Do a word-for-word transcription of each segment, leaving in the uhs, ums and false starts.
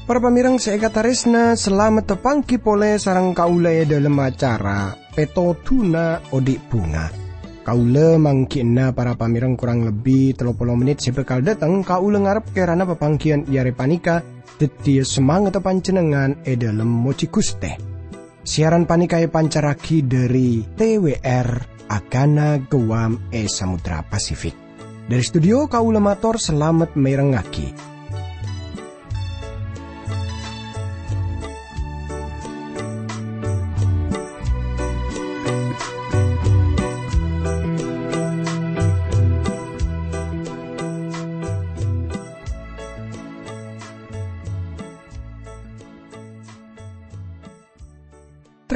Para pamèrèng sè èkatarèsna, salamet tapangghi polè sareng kaulâ è dhâlem acara Pètodhuna Odi' Bhunga. Kaulâ mangghi'na para pamèrèng korang lebbi tello polo mennit sè bhâkal dâteng, kaulâ ngarep kèrana papangghiyân è arè panèka dhâddhiyâ samangetta panjhennengngan è dhâlem mojhi Ghustè. Siaran panèka èpancarraghi dhâri T W R Agana Guam è Samudra Pasifik. Dhâri studio kaulâ mator salamet mèrengngaghi.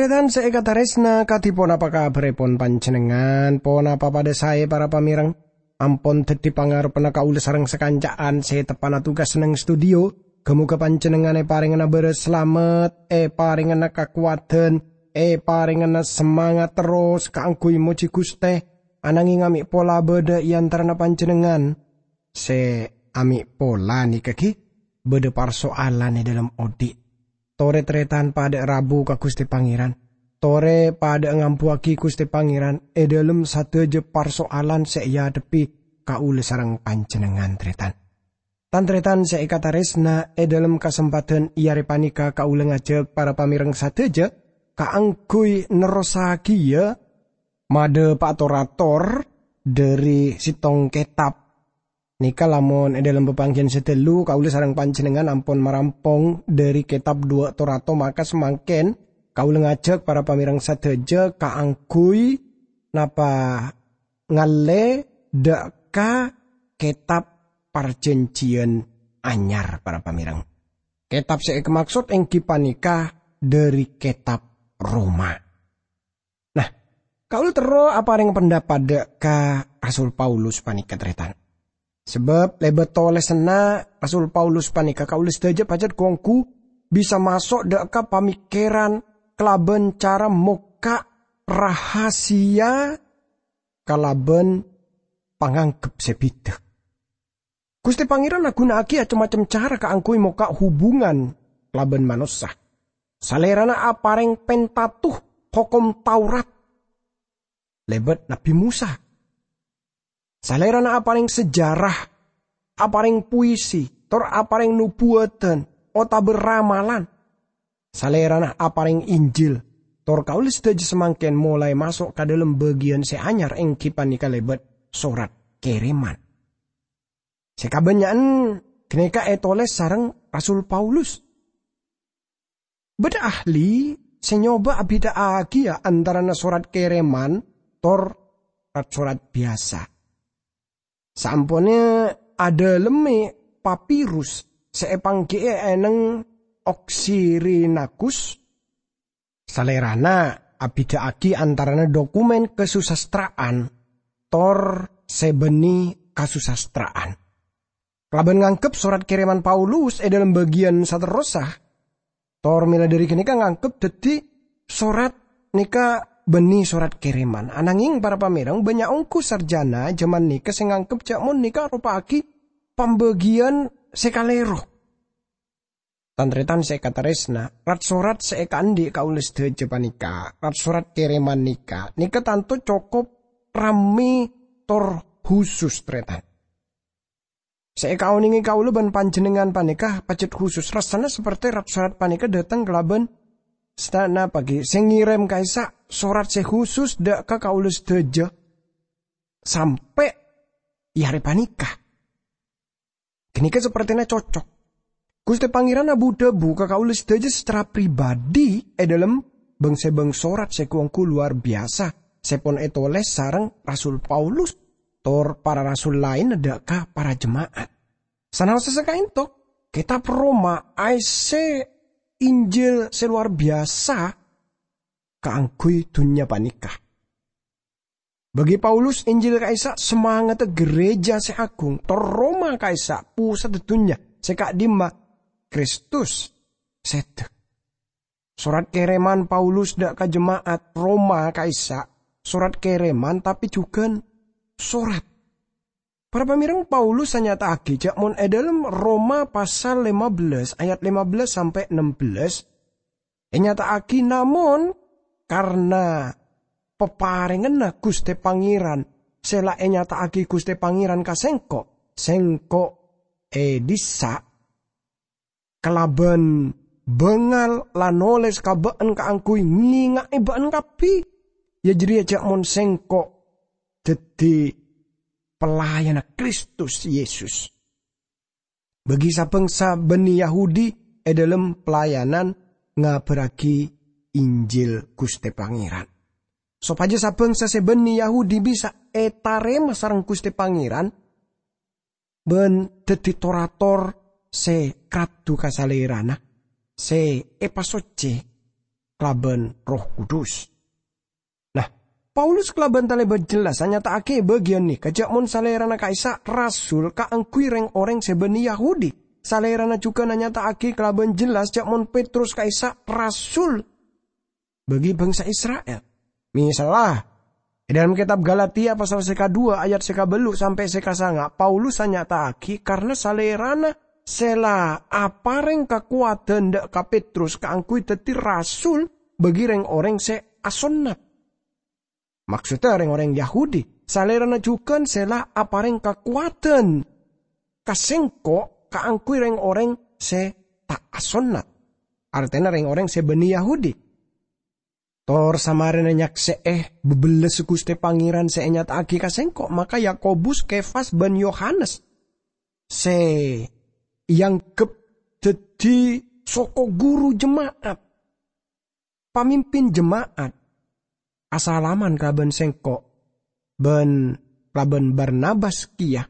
Tarètan sè èkatarèsna, kadhi ponapa kabhârèpon panjhennengngan? Ponapa padâ saè, para pamèrèng? Ampon dhâddhi pangarebbhânna kaulâ sareng sakanca'an sè teppa'na tugas neng studio. Ghâ-mogâ panjhennengngan èparèngana bârâs salamet, èparèngana kakowadhân, èparèngana samangat terros kaangghuy mojhi Ghustè. Anangèng amè' pola bâdâ è antarana panjhennengngan sè amè' pola nèka ghi' bâdâ parsoalan è dhâlem odi'. Torè tarètan padâ rabu ka Ghustè Pangèran. Torè padâ ngambuwâghi Ghustè Pangèran è dhâlem sadhâjâ parsoalan sè èadhebbhi kaulâ sareng panjhennengngan, tarètan. Tan-tarètan sè èkatarèsna, è dhâlem kasempadhân è arè panèka kaulâ ngajhâk para pamèrèng sadhâjâ kaangghuy nerrossaghiyâ madhâ' pa-, tor-ator dhâri sèttong kètab. Nèka lamon è dhâlem papangghiyân sè ghâllu, kaulâ sareng panjhennengngan ampon marampong dhâri kètab Duwâ' Tor-ator, maka samangkèn kaulâ ngajhâk para pamèrèng sadhâjâ kaangghuy napa ngallè dâ' ka kètab Parjhânjhiyân Anyar, para pamèrèng. Kètab sè èkamaksod èngghi panèka dhâri kètab Roma. Nah, kaulâ terro aparèng pendapat dâ' ka Rasul Paulus panèka, tarètan. Sabâb lèbât tolèsanna Rasul Paulus panèka kaulâ sadhâjâ pajhât ghu-ongghu bisa maso' dâ' ka pamèkkèran kalabân cara mokka' rahasia kalabân pangangghep sè bhidhâ. Ghustè Pangèran aghuna'aghi acem-macem cara kaangghuy mokka' hubungan kalabân manossa. Salèrana aparèng Pentatukh, hokom Taurat, lèbât Nabbhi Mosa. Salèrana aparèng sejarah, aparèng puisi, tor aparèng nobuwâdhân otabâ ramalan. Salèrana aparèng Injil, tor kaulâ sadhâjâ samangkèn molaè maso' ka dhâlem bâgiyân sè anyar, èngghi panèka lèbât sorat kèrèman. Sè kabânnya'an ghânèka ètolès sareng Rasul Paulus. Bâdâ ahli sè nyoba abhidhâ'âghi antarana sorat kèrèman tor rat-sorat biyasa. Saamponna adhâlemmè papirus sè èpangghi'è è neng Oksirinakus, salèrana abhidhâ'âghi antarana dhokumèn kasusastra'an tor sè bânnè kasusastra'an. Kalabân nganggep sorat kèrèman Paulus è dhâlem bâgiyân saterrossa, tor mèla dhâri ghânèka nganggep dhâddhi sorat nèka bânnè sorat kèrèman. Anangèng, para pamèrèng, bânnya' ongghu sarjana jhâman nèka sè nganggep jhâ' mon nèka aropa'aghi pambâgiyân sè kalèro. Tan-tarètan sè èkatarèsna, rat-sorat sè èkaandi' kaulâ sadhâjâ panèka, rat-sorat kèrèman nèka, nèka tanto cokop rammè tor husus, tarètan. Sè èkaonèngè kaulâ bân panjhennengngan panèka pajhât husus, rassana sapertè rat-sorat panèka dâteng kalabân sè ta' napa ghi' sè ngèrèm ka'issa' sorat sè husus dâ' ka kaulâ sadhâjâ sampè' è arè panèka. Ghânèka sapertèna cocok. Ghustè Pangèran abu-dhâbu ka kaulâ sadhâjâ sacara pribadi è dhâlem bâng-sèbâng sorat sè ghu-ongghu lowar biyasa sè pon ètolès sareng Rasul Paulus tor para rasul laènna dâ' ka para jema'at. Sanaossa sakaènto, Kètab Roma aèssè Injil sè lowar biyasa kaangghuy dhunnya panèka. Bagi Paulus, Injil ka'issa' samangatta ghârèjâ sè aghung, tor Roma ka'issa' posadda dhunnya sè ka'dimma Kristus sèdhâ. Sorat kèrèman Paulus dâ' ka jema'at Roma ka'issa' sorat kèrèman, tapè jhughân sorat. Para pamèreng, Paulus anyata'aghi jâ' mon è dâlem Roma pasal lèma bellâs ayat lèma bellâs sampè' ennem bellâs, ènyata'aghi, "Namon karna paparènganna Ghustè Pangèran sè la ènyata'aghi Ghustè Pangèran ka sèngko', sèngko' è dissa' kalabân bângal la nolès ka bâ'ân kaangghuy ngènga'è bâ'ân kabbhi, ya jârèya jâ' mon sèngko' dhâddhi pelayanna Kristus Yesus bagi sabângsa bânnè Yahudi è dâlem pelayanan ngabârraghi Injil Ghustè Pangèran, sopajâ sabângsa sè bânnè Yahudi bisa ètarèma sareng Ghustè Pangèran bân dhâddhi tor-ator sè raddhu ka Salèrana, sè èpasoccè kalabân Erroh Kudus." Nah, Paulus kalabân talèbât jelas anyata'aghi bâgiyân nèka jâ' mon Salèrana ka'issa' rasul kaangghuy rèng-orèng sè bânnè Yahudi. Salèrana jhughân anyata'aghi kalabân jelas jâ' mon Petrus ka'issa' rasul bagi bângsa Isra'il. Misalla, è dâlem kètab Galatia pasal sè kadhuwâ ayat sè kabâllu' sampè' sè kasanga', Paulus anyata'aghi karna Salèrana sè la aparèng kakowadhân dâ' ka Petrus kaangghuy dhâddhi rasul bagi rèng-orèng sè asonnat. Maksoddhâ rèng-orèng Yahudi, Salèrana jhughân sè la aparèng kakowadhân ka sèngko' kaangghuy rèng-orèng sè ta' asonnat, artèna rèng-orèng sè bânnè Yahudi. Tor samarèna nyaksè'è bâbellessa Ghustè Pangèran sè ènyata'aghi ka sèngko', maka Yakobus, Kefas, bân Yohanes sè èangghep dhâddhi soko ghuru jema'at, pamimpin jema'at, asalaman kalabân sèngko' bân kalabân Barnabas kèya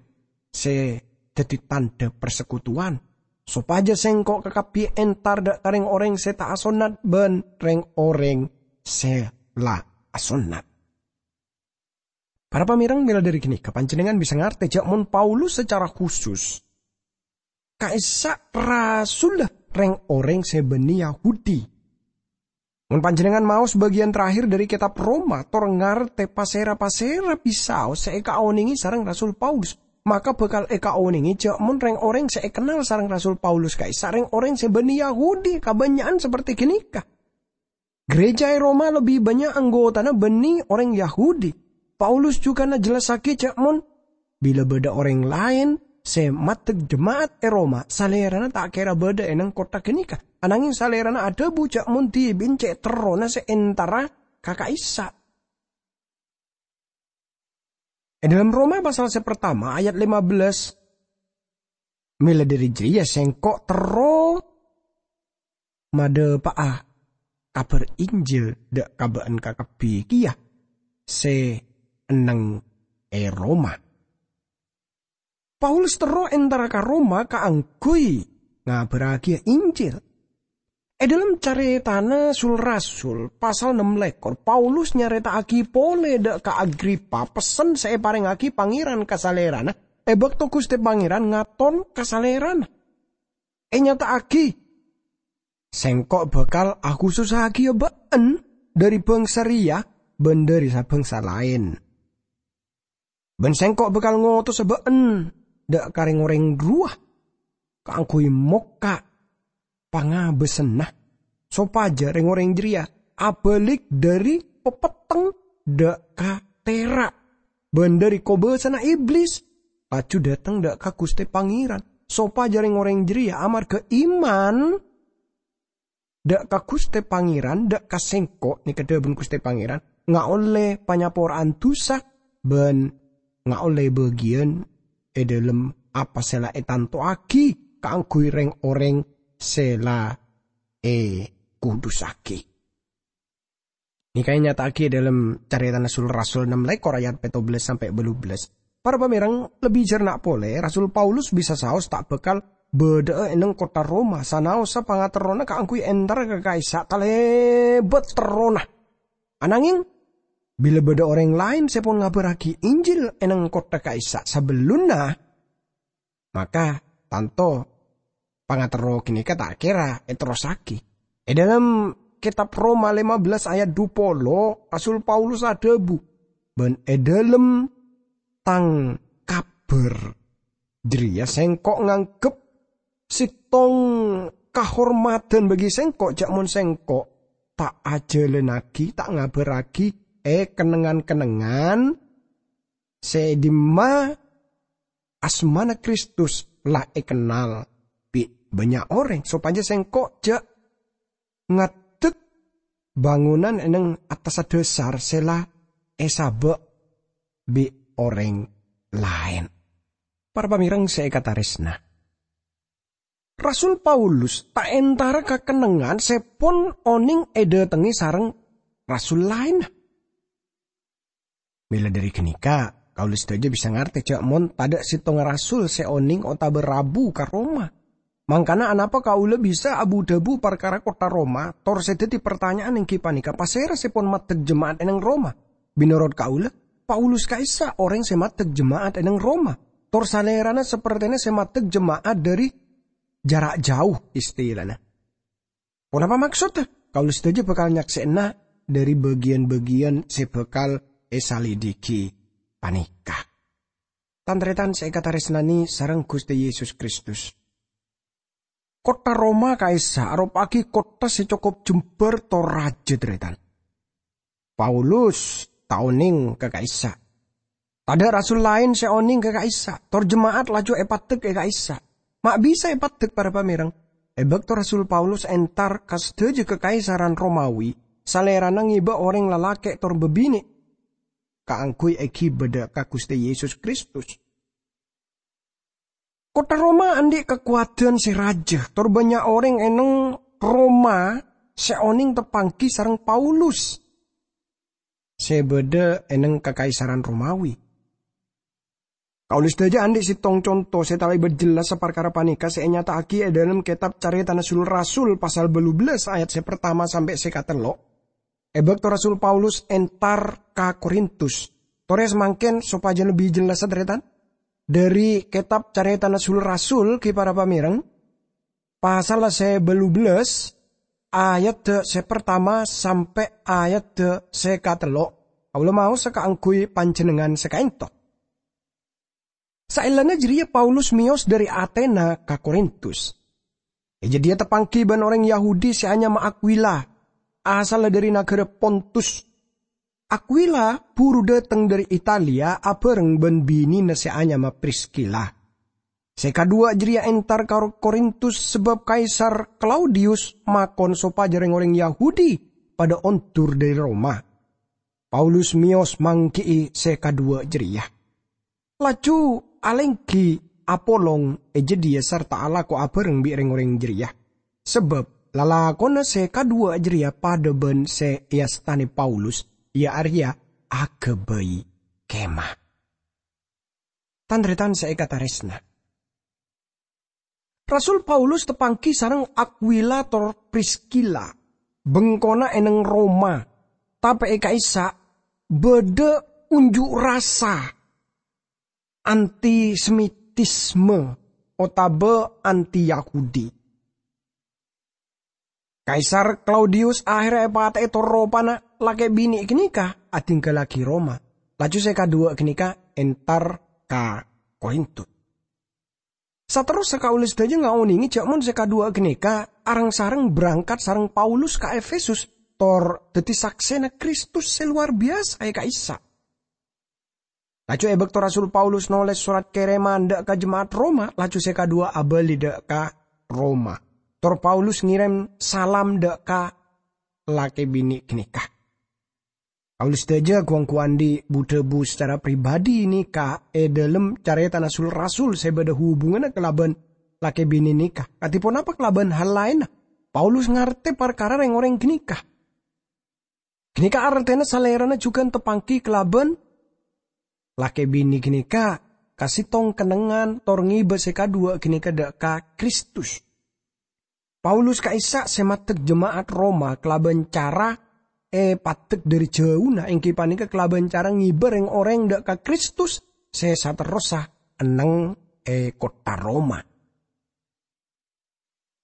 sè dhâddhi tandhâ parsekutuwan, sopajâ sèngko' kakabbhi entar dâ' ka rèng-orèng sè ta' asonnat bân rèng-orèng sè la asonnat. Para pamèreng, mèla dhâri ghânèka panjhennengngan bisa ngartè jâ' mon Paulus sacara khusus ka'issa' rasulla rèng-orèng sè bânnè Yahudi. Mon panjhennengngan maos bâgiyân terakhir dhâri kètab Roma, tor ngartè pasèra-pasèra bisaos sè èkaonèngè sareng Rasul Paulus, maka bhâkal èkaonèngè jâ' mon rèng-orèng sè èkennal sareng Rasul Paulus ka'issa' rèng-orèng sè bânnè Yahudi kabânnya'an saperti ghânèka. Gereja è Roma lebbi bânnya' anggotana bânnè orèng Yahudi. Paulus jhughân ajhellassaghi jâ' mon bilâ bâdâ orèng laèn sè maddhek jema'at è Roma, salèrana ta' kèra bâdâ è neng kottha ghânèka. Ananghing salèrana adhâbu jâ' mon dhibi'na cè' terrona sè entara ka ka'issa'. È dâlem Roma pasal sè partama ayat lèma bellâs, "Mèla dhâri jârèya sèngko' terro madhâpa'a Kabhâr Injil dâ' ka bâ'ân kakabbhi kèya sè enneng è Roma." Paulus terro entara ka Roma kaangghuy ngabârrâghiyâ Injil. È dâlem Carètana Sul-Rasul, pasal nem lèkor, Paulus nyarèta'aghi polè dâ' ka Agripa pessen sè èparèngaghi Pangèran ka salèrana è bâkto Ghustè Pangèran ngaton ka salèrana. Ènyata'aghi, "Sèngko' bhâkal akhusussaghiyâ bâ'ân dhâri bhângsa rèya bân dhâri sa-bhângsa laèn. Bân sèngko' bhâkal ngotosa bâ'ân dâ' ka rèng-orèng rowa kaangghuy mokka' pangabâsânna, sopajâ rèng-orèng jârèya abâlik dhâri papetteng dâ' ka tèra' bân dhâri kobâsana Iblis, laju dâteng dâ' ka Ghustè Pangèran, sopajâ rèng-orèng jârèya amarghâ iman dâ' ka Ghustè Pangèran, dâ' ka sèngko'," nèka dhâbuna Ghustè Pangèran, "ngaollè panyapora'an dusa bân ngaollè bâgiyân è dâlem apa sè la ètanto'aghi kaangghuy rèng-orèng sè la èkudusaghi." Nèka ènyata'aghi è dâlem Carètana Sul-Rasul nem lèkor ayat pètto bellâs sampè' bâllu bellâs. Para pamèreng, lebbi jhârna polè, Rasul Paulus bisa saos ta' bhâkal bâdâ'â è neng kottha Roma, sanaossa pangaterrona kaangghuy entara ka ka'issa' talèbât terrona. Ananghing, bilâ bâdâ orèng laèn sè pon ngabârrâghi Injil è neng kottha ka'issa' sabellunna, maka tanto pangaterro ghânèka ta' kèra èterrossaghi. È dâlem Kètab Roma lèma bellâs ayat dhu polo, Rasul Paulus adhâbu, "Bân è dhâlem tang kabhâr jârèya sèngko' nganggep sèttong kahormadhân bagi sèngko' jhâ' mon sèngko' ta' ajhâlânnaghi, ta' ngabhârraghi è kennengngan-kennengngan sè è dimma asmana Kristus la èkennal bi' bânnya' orèng, sopajâ sèngko' jhâ' ngaddhek bângonan è neng attassa dhâsar sè la èsabâ' bi' orèng laèn." Para pamèreng sè èkatarèsna, Rasul Paulus ta' entara ka kennengngan sè pon onèng èdâtengngè sareng rasul laènna. Mèla dhâri ghânèka, kaulâ sadhâjâ bisa ngartè jhâ' mon tadâ' sèttonga rasul sè onèng otabâ rabu ka Roma. Mangkana anapa kaulâ bisa abu-dhâbu parkara kottha Roma, tor sè dhâddhi partanya'an èngghi panèka, pasèra sè pon maddhek jema'at è neng Roma? Mènorot kaulâ, Paulus ka'issa' orèng sè maddhek jema'at è neng Roma, tor salèrana sapertèna sè maddhek jema'at dhâri jhârâ' jhâu, istilana. Ponapa maksodda? Kaulâ sadhâjâ bhâkal nyaksè'ana dhâri bâgiyân-bâgiyân sè bhâkal èsalidhighi panèka. Tan-tarètan sè èkatarèsnanè sareng Ghustè Yesus Kristus, kottha Roma ka'issa' aropa'aghi kottha sè cokop jembhâr tor rajâ, tarètan. Paulus ta' onèng ka ka'issa'. Tadâ' rasul laèn sè onèng ka ka'issa', tor jema'at laju èpaddhek è ka'issa'. Ma' bisa èpaddhek, para pamèreng, è bâkto Rasul Paulus entar ka sadhâjâ kakaisaran Romawi, salèrana ngèbâ orèng lalakè' tor bâbinè' kaangghuy èghibâ dâ' ka Ghustè Yesus Kristus. Kottha Roma andi' kakowadhân sè rajâ, tor bânnya' orèng è neng Roma sè onèng tapangghi sareng Paulus sè bâdâ è neng kakaisaran Romawi. Kaulâ sadhâjâ andi' sèttong conto sè talèbât jellassa parkara panèka sè ènyata'aghi è dhâlem kètab Carètana Sul-Rasul pasal bâllu bellâs ayat sè partama sampè' sè katello'. È bâkto Rasul Paulus entar ka Korintus, torè samangkèn sopajâ lebbi jellassa, tarètan, dhâri kètab Carètana Sul-Rasul, ghi para pamèreng, pasal sè bâllu bellâs, ayadda sè partama sampè' ayadda sè katello'. Kaulâ maosa kaangghuy panjhennengngan sè ka'ènto. Saellana jârèya Paulus mèyos dhâri Atena ka Korintus. È jâdiyâ tapangghi bân orèng Yahudi sè anyama Akwila, asalla dhâri naghârâ Pontus. Akwila buru dhâteng dhâri Italia abhâreng bân binèna sè anyama Priskila. Sè kaduwâ' jârèya entar ka Korintus sabâb Kaisar Klaudius makon sopajâ rèng-orèng Yahudi padâ ondur dhâri Roma. Paulus mèyos mangghi'i sè kaduwâ' jârèya, laju alèngghi apolong è jâdiyâ sarta alako abhâreng bi' rèng-orèng jârèya, sabâb lalakonna sè kaduwâ' jârèya padâ bân sè èastanè Paulus, iyâ arèya aghâbây kemah. Tan-tarètan sè èkatarèsna, Rasul Paulus tapangghi sareng Akwila tor Priskila, bengkona è neng Roma, tapè è ka'issa' bâdâ unjuk rasa antisemitisme otabâ anti-Yahudi. Kaisar Klaudius aherra èpatè'è tor ropana lakè' binè' ghânèka adhingghâllaghi Roma, laju sè kaduwâ' ghânèka entar ka Korintus. Saterrossa kaulâ sadhâjâ ngaonèngè jhâ' mon sè kaduwâ' ghânèka areng-sareng berangkat sareng Paulus ka Efesus, tor dhâddhi saksèna Kristus sè lowar biyasa è ka'issa'. Laju è bâkto Rasul Paulus nolès sorat kèrèman dâ' ka jema'at Roma, laju sè kaduwâ' abâli dâ' ka Roma. Tor Paulus ngèrèm salam dâ' ka lakè binè' ghânèka. Kaulâ sadhâjâ ghu-ongghu andi' bu-dhâbu sacara pribadi nèka è dhâlem carètana sul-rasul sè bâdâ hubunganna kalabân lakè binè' nèka. Kadhi ponapa kalabân hal laènna? Paulus ngartè parkara rèng-orèng ghânèka. Ghânèka artèna salèrana jhughân tapangghi kalabân lakè binè' ghânèka ka sèttong kennengngan tor ngèbâ sè kaduwâ' ghânèka dâ' ka Kristus. Paulus ka'issa' sè maddhek jema'at Roma kalabân cara èpaddhek dhâri jhâuna, èngghi panèka kalabân cara ngèbâ rèng-orèng dâ' ka Kristus sè saterrossa enneng è kottha Roma.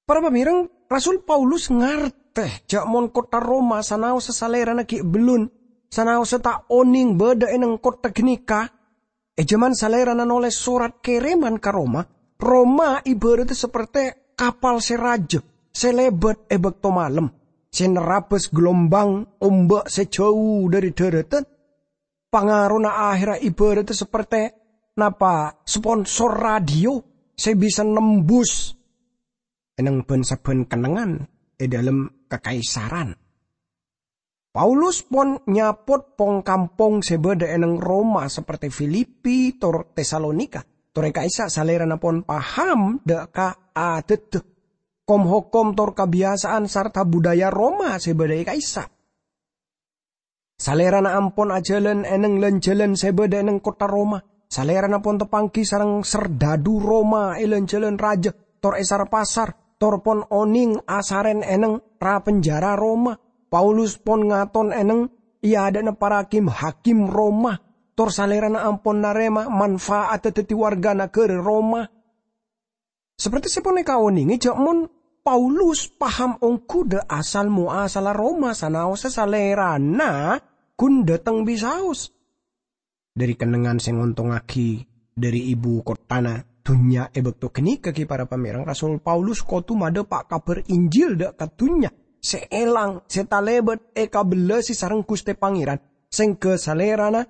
Para pamèreng, Rasul Paulus ngartè jhâ' mon kottha Roma sanaossa salèrana ghi' bellun, sanaossa ta' onèng bâdâ è neng kottha ghânèka. È jhâman salèrana nolès sorat kèrèman ka Roma, Roma ibhârâddhâ saperte kapal sè rajâ sè lèbât è bâkto malem, sè nerrabâs galombang omba' sè jhâu dhâri dhârâdhân. Pangarona ahèrra ibhârâddhâ saperte napa sponsor radio sè bisa nembus è neng bân-sabbhân kennengngan è dhâlem kakaisaran. Paulus pon nyapot pong-kampong sè bâdâ è neng Roma, saperte Filipi tor Tesalonika. Tor è ka'issa' salèrana pon paham dâ' ka adâddhâ, kom-hokom tor kabiyasaan sarta budaya Roma sè bâdâ è ka'issa'. Salèrana ampon ajhâlân è neng lan-jhâlân sè bâdâ è neng kottha Roma. Salèrana pon tapangghi sareng serdadu Roma è lan-jhâlân rajâ, tor è sar-pasar, tor pon onèng asarèn è neng ra-penjara Roma. Paulus pon ngaton è neng è adâ'na para kim-hakim Roma, tor salèrana ampon narèma manfa'adhâ dhâddhi warga naghârâ Roma. Saperte sè panèka onèngè jhâ' mon Paulus paham ongghu dâ' asal-moasalla Roma sanaossa salèrana ghun dâteng bisaos. Dhâri kennengngan sè ngontongngaghi dhâri ibu kotthana dhunnya è bâkto ghânèka ghi, para pamèreng, Rasul Paulus kodhu madhâpa' kabhâr Injil dâ' ka dhunnya sè èlang, sè talèbât èkabellasi sareng Ghustè Pangèran, sèngghâ salèrana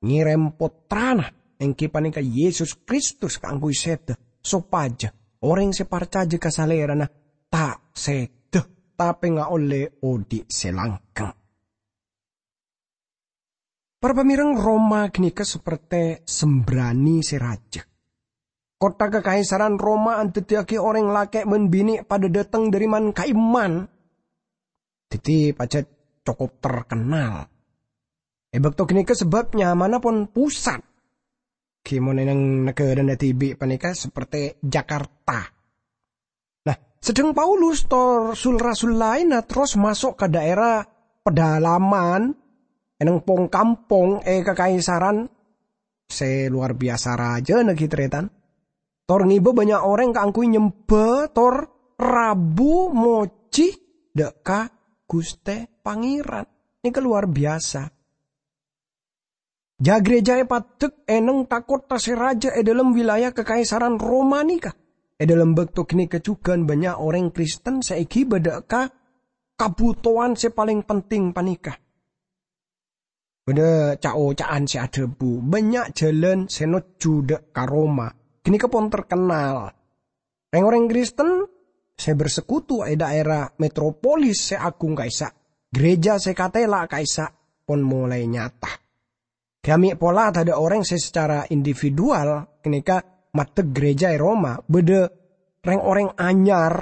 ngèrèm Pottrana, èngghi panèka Yesus Kristus, kaangghuy sèdhâ, sopajâ orèng sè parcajâ ka Salèrana ta' sèdhâ, tapè ngaollè odhi' sè langghâng. Para pamèreng, Roma ghânèka saperte sembrani sè rajâ. Kottha kakaisaran Roma adhâddhiyâghi orèng lakè' bân binè' padâ dâteng dhâri man-ka'imman. Dhâddhi pajhât cokop terkenal è bâkto ghânèka sabâb nyamana pon pusat. Ghi mon è neng naghârâna dhibi' panèka saperte Jakarta. Nah, sedheng Paulus tor sul-rasul laènna terros maso' ka dhaèra pedalaman è neng pong-kampong è kakaisaran sè lowar biyasa rajâna ghi, tarètan. Tor ngèbâ bânnya' orèng kaangghuy nyembhâ tor rabu mojhi dâ' ka Ghustè Pangèran. Nèka lowar biyasa. Ja-, gereja èpadhek è neng ka-kottha sè rajâ è dhâlem wilayah kakaisaran Roma nèka. È dhâlem bâkto ghânèka jhughân bânnya' orèng Kristen sè èghibâ dâ' ka kabhutowan sè palèng penting panèka. Bâdâ ca'-oca'an sè adhâbu, bânnya' jhâlân sè nojjhu dâ' ka Roma. Ghânèka pon terkenal. Rèng-orèng Kristen sè bersekutu è dhaèra metropolis sè agung ka'issa', gereja sè katèla ka'issa', pon molaè nyata. Ghi' ame' pola tadâ' orèng sè secara individual ghânèka maddhek gereja è Roma, bâdâ rèng-orèng anyar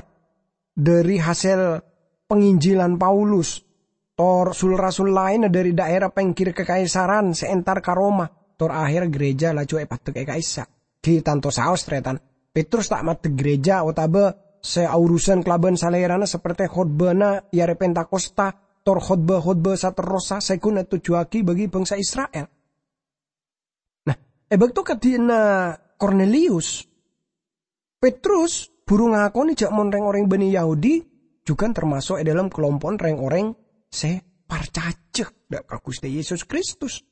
dhâri hasèl panginjilan Paulus, tor sul-rasul laènna dhâri dhaèra pèngghir kakaisaran sè entar ka Roma, tor aherra gereja laju èpaddhek è ka'issa'. Ghi tanto saos, tarètan. Petrus ta' maddhek gereja otabâ sè aorusan kalabân Salèrana saperte khotbâna è arè Pentakosta, tor khotbâ-khotbâ saterrossa sè ghun ètojjhuwâghi bagi bangsa Isra'il. Nah, è bâkto kadhi'na Kornelius, Petrus buru ngakonè jhâ' mon rèng-orèng bânnè Yahudi jhughân tamaso' è dhâlem kalompo'na rèng-orèng sè parcajâ dâ' ka Ghustè Yesus Kristus.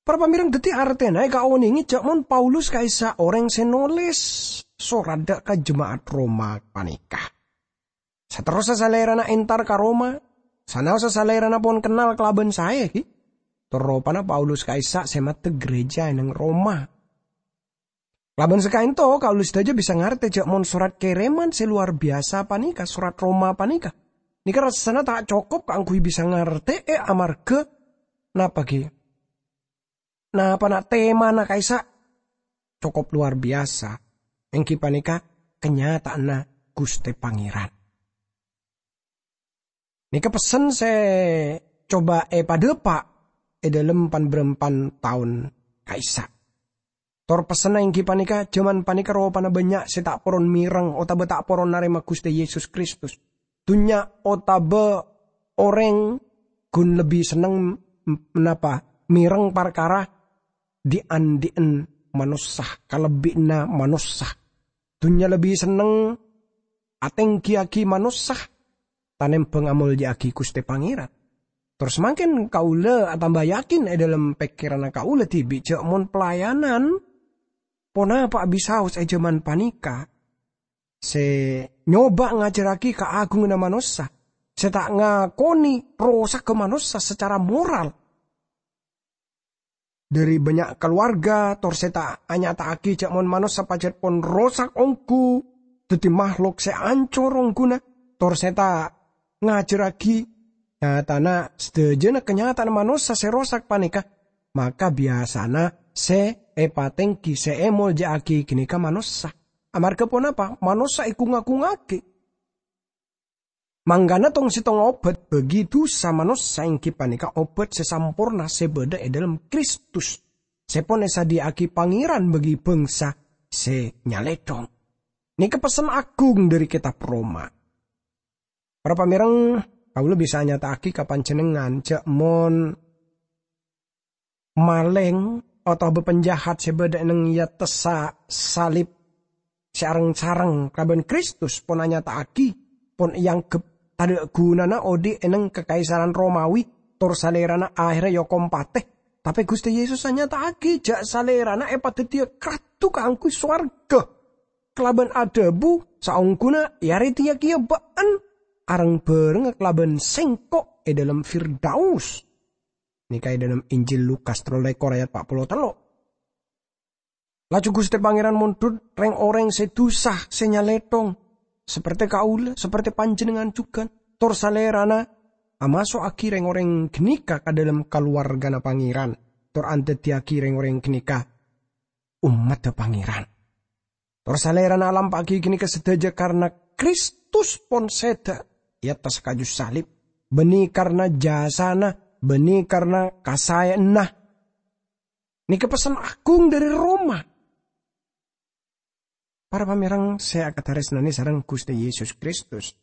Para pamèreng, dhâddhi artèna èkaonèngè jhâ' mon Paulus ka'issa' orèng sè nolès sorat dâ' ka jema'at Roma panèka. Saterrossa Salèrana entar ka Roma, sanaossa Salèrana pon kennal kalabân saè, ghi. Tor ropana Paulus ka'issa' sè maddhek gereja è neng Roma. Kalabân sakaento, kaulâ sadhâjâ bisa ngartè jhâ' mon sorat kèrèman sè lowar biyasa panèka, sorat Roma panèka, nèka rassana ta' cokop kaangghuy bisa ngartè'è amarghâ napa, ghi? Napana temana ka'issa' cokop lowar biyasa, èngghi panèka kanyata'anna Ghustè Pangèran. Nèka pessen sè coba èpadâpa' è dhâlem pan-bârâmpan taon ka'issa'. Tor pessenna èngghi panèka, jhâman panèka ropana bânnya' sè ta' poron mèreng otabâ ta' poron narèma Ghustè Yesus Kristus. Dhunnya otabâ orèng ghun lebbi senneng m-, napa, mèreng parkara dhi'-andhi'en manossa, kalebbi'anna manossa. Dhunnya lebbi senneng atèngghiyâghi manossa, tanèmbhâng amolja'aghi Ghustè Pangèran. Tor samangkèn kaulâ atamba yakin è dhâlem pèkkèranna kaulâ dhibi' jâ' mon pelayanan ponapa'a bisaos è jhâman panèka sè nyoba ngajhârraghi kaagunganna manossa, sè ta' ngakonè rosagghâ manossa sacara moral. Dhâri bânnya' kalowarga, tor sè ta' anyata'aghi jâ' mon manossa pajhât pon rosak ongghu, dhâddhi mahlok sè ancor ongghuna, tor sè ta' ngajhârraghi nyatana sadhâjâna kanyata'anna manossa sè rosak panèka, maka biyasana sè èpatènggi, sè èmolja'aghi ghânèka manossa. Amarghâ ponapa? Manossa èkung-akungngaghi. Mangkana tong-settong obat bagi dusa manossa èngghi panèka obat sè samporna sè bâdâ è dhâlem Kristus, sè pon èsadhiyâ'aghi Pangèran bagi bhângsa sè nyalèthong. Nèka pessen agung dhâri Kètab Roma. Para pamèreng, kaulâ bisa nyata'aghi ka panjhennengngan jâ' mon malèng otabâ panjahat sè bâdâ è neng è attessa salib sè areng-sareng kalabân Kristus pon anyata'aghi, pon èangghep tadâ' ghunana odi' è neng Kakaisaran Romawi, tor Salèrana aherra èokom patè. Tapè Ghustè Yesus anyata'aghi jâ' Salèrana èpadhâddhiyâ rato kaangghuy sowarghâ, kalabân adhâbu, "Saongghuna èarèdhiyâ kèya bâ'en areng-bhârengnga kalabân Sèngko' è dhâlem Firdaus." Nèka è dhâlem Injil Lukas tello lèkor ayat pa' polo tello'. Laju Ghustè Pangèran mondhut rèng-orèng sè dusa, sè nyalèthong, saperte kaulâ, saperte panjhennengngan jhughân, tor Salèrana amaso'aghi rèng-orèng ghânèka ka dhâlem kalowarghâna Pangèran, tor andaddhiyâghi rèng-orèng ghânèka ommaddhâ Pangèran. Tor Salèrana alampa'aghi ghânèka sadhâjâ karna Kristus pon sèdhâ è attas kaju salib, bânnè karna jasana, bânnè karna kasaèyanna. Nèka pessen agung dhâri Roma. Para pamèreng sè èkatarèsnanè sareng Ghustè Yesus Kristus.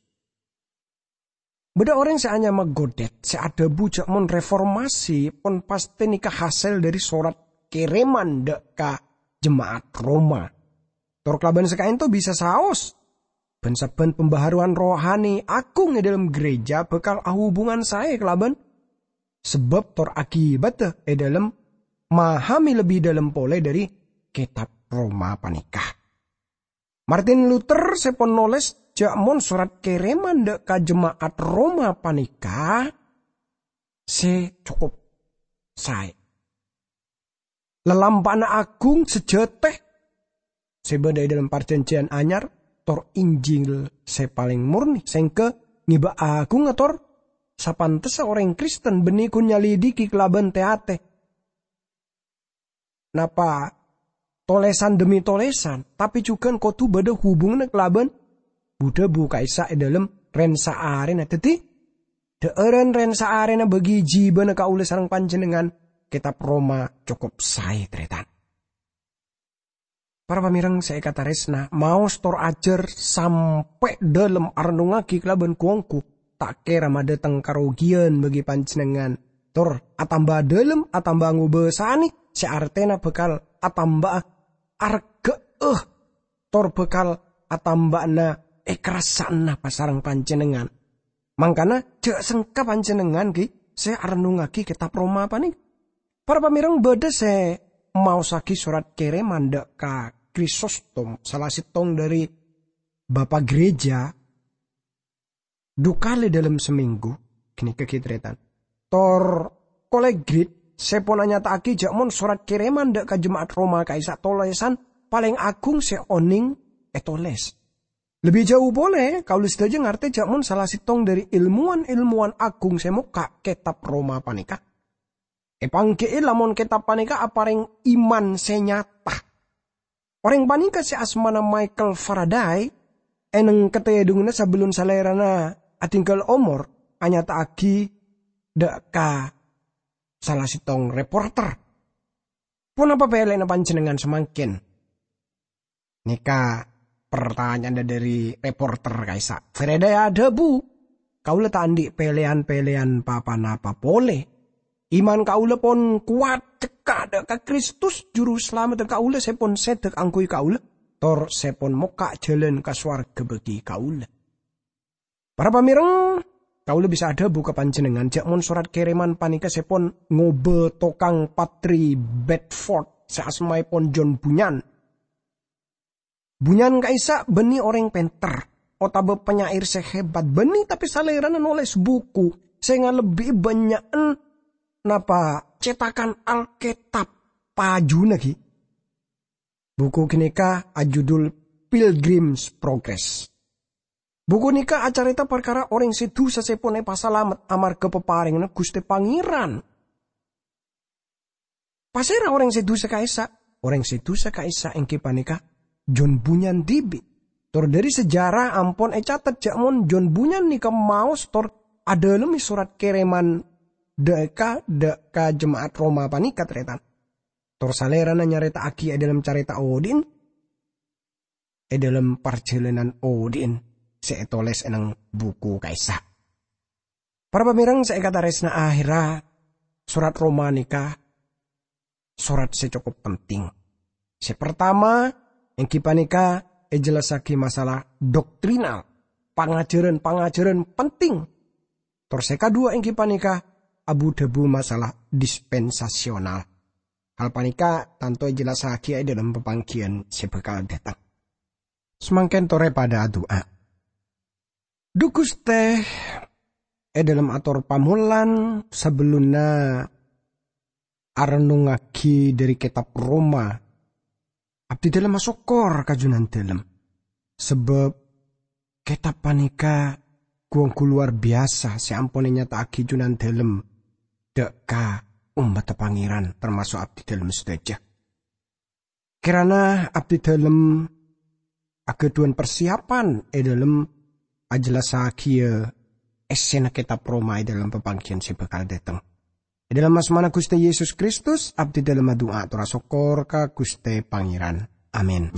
Bâdâ orèng sè anyama Godet sè adhâbu jâ' mon reformasi pon pastè nèka hasèl dhâri sorat kèrèman dâ' ka jema'at Roma. Tor kalabân sè ka'ènto bisa saos, bân sabbhân pembaharuan rohani agung è dhâlem ghârèjâ bhâkal ahubungan saè kalabân sabâb tor akibatta è dhâlem mahami lebbi dhâlem polè dhâri Kètab Roma panèka. Martin Luther sè pon nolès jâ' mon sorat kèrèman dâ' ka jema'at Roma panèka sè cokop saè. Lalampa'na agung sajâtè sè bâdâ è dhâlem Parjhânjhiyân Anyar, tor Injil sè palèng morni, sèngghâ ngèbâ agung ator sapantessa orèng Kristen bânnè ghun nyalidiki kalabân tè-atè. Napa tolèsan dhemmi tolèsan, tapè jhughân kodhu bâdâ hubunganna kalabân bu-dhâbu ka'issa' è dhâlem rèn-saarèna. Dhâddhi, dhâ'ârân rèn-saarèna bâgi jibâna kaulâ sareng panjhennengngan, Kètab Roma cokop saè, tarètan. Para pamèreng sè èkatarèsna, maos tor ajhâr sampè' dhâlem arennungngaghi kalabân gu-onggu, ta' kèra madâteng karogiyan bâgi panjhennengngan, tor atamba dhâlem, atamba ngobâsanè, sè artèna bhâkal atamba'a arghâ'â, tor bhâkal atamba'ana èkarassa'a pasareng panjhennengngan. Mangkana, jhâ' sengka panjhennengngan ghi' sè arennungngaghi Kètab Roma panèka. Para pamèreng, bâdâ sè maossaghi sorat kèrèman dâ' ka Krisostom, sala sèttong dhâri bapa' ghârèjâ, du kalè dhâlem samènggu, ghânèka ghi' tarètan. Tor Kolegrit sè pon anyata'aghi jhâ' mon sorat kèrèman dâ' ka jema'at Roma ka'issa' tolèsan palèng agung sè onèng ètolès. Lebbi jhâu polè, kaulâ sadhâjâ ngartè jhâ' mon sala sèttong dhâri èlmowan-èlmowan agung sè mokka' Kètab Roma panèka. Èpangghi'i lamon kètab panèka aparèng iman sè nyata. Orèng panèka sè asmana Michael Faraday, è neng katèdunganna sabellun salèrana adhingghâl omor, anyata'aghi dâ' ka sala sèttong reporter, "Ponapa pèlèna panjhennengngan samangkèn?" Nèka partanya'anna dhâri reporter ka'issa'. Faraday adhâbu, "Kaulâ ta' andi' pèlèyan-pèlèyan pa-ponapa polè. Iman kaulâ pon kowat cekka' dâ' ka Kristus, Juru Salameddhâ kaulâ sè pon sèdhâ kaangghuy kaulâ, tor sè pon mokka' jhâlân ka sowarghâ bâgi kaulâ." Para pamèrèng, kaulâ bisa adhâbu ka panjhennengngan jhâ' mon sorat kèrèman panèka sè pon ngobâ tokang patri Bedford sè asmaèpon John Bunyan. Bunyan ka'issa' bânnè orèng pènter otabâ panyair sè hebat, bânnè tapè salèrana nolès buku sè ngalebbi'i bânnya'en napa cètakan Alkètab pajhuna ghi. Buku ghânèka ajudul Pilgrim's Progress. Buku nèka acarèta parkara orèng sè dhusa sè pon èpasalamet amarghâ paparènganna Ghustè Pangèran. Pasèra orèng sè dhusa ka'issa'? Orèng sè dhusa ka'issa' èngghi panèka John Bunyan dhibi'. Tor dhâri sejarah ampon ècatet jhâ' mon John Bunyan nèka maos tor adhâlemmè sorat kèrèman dâ' ka, dâ' ka jema'at Roma panèka, tarètan. Tor salèrana nyarèta'aghi è dâlem carèta odi'en, è dâlem parjhâlânan odi'en sè ètolès è neng buku ka'issa'. Para pamèrèng sè èkatarèsna'a, akhèrra sorat Roma nèka sorat sè cokop penting. Sè partama, èngghi panèka èjellassaghi masalah doktrinal, pangajhârân-pangajhârân penting. Tor sè kaduwâ èngghi panèka abu-dhâbu masalah dispensasional. Hal panèka tanto èjellassaghi è dâlem papangghiyân sè bhâkal dâteng. Samangkèn torè padâ adu'a. Dhu Ghustè, è dâlem ator pamolan sabellunna arennungngaghi dhâri kètab Roma, abdhi dâlem asokkor ka Jhunandhâlem. Sabâb kètab panèka ghu-ongghu lowar biyasa sè ampon ènyata'aghi Jhunandhâlem dâ' ka ommaddhâ Pangèran, tamaso' abdhi dâlem sadhâjâ. Kèrana abdhi dâlem aghâdhuwân parsiyapan è dâlem ajellassaghiyâ èssèna kètab Roma è dâlem papangghiyân sè bhâkal dâteng. È dâlem asmana Ghustè Yesus Kristus, abdhi dâlem adu'a tor asokkor ka Ghustè Pangèran. Amin.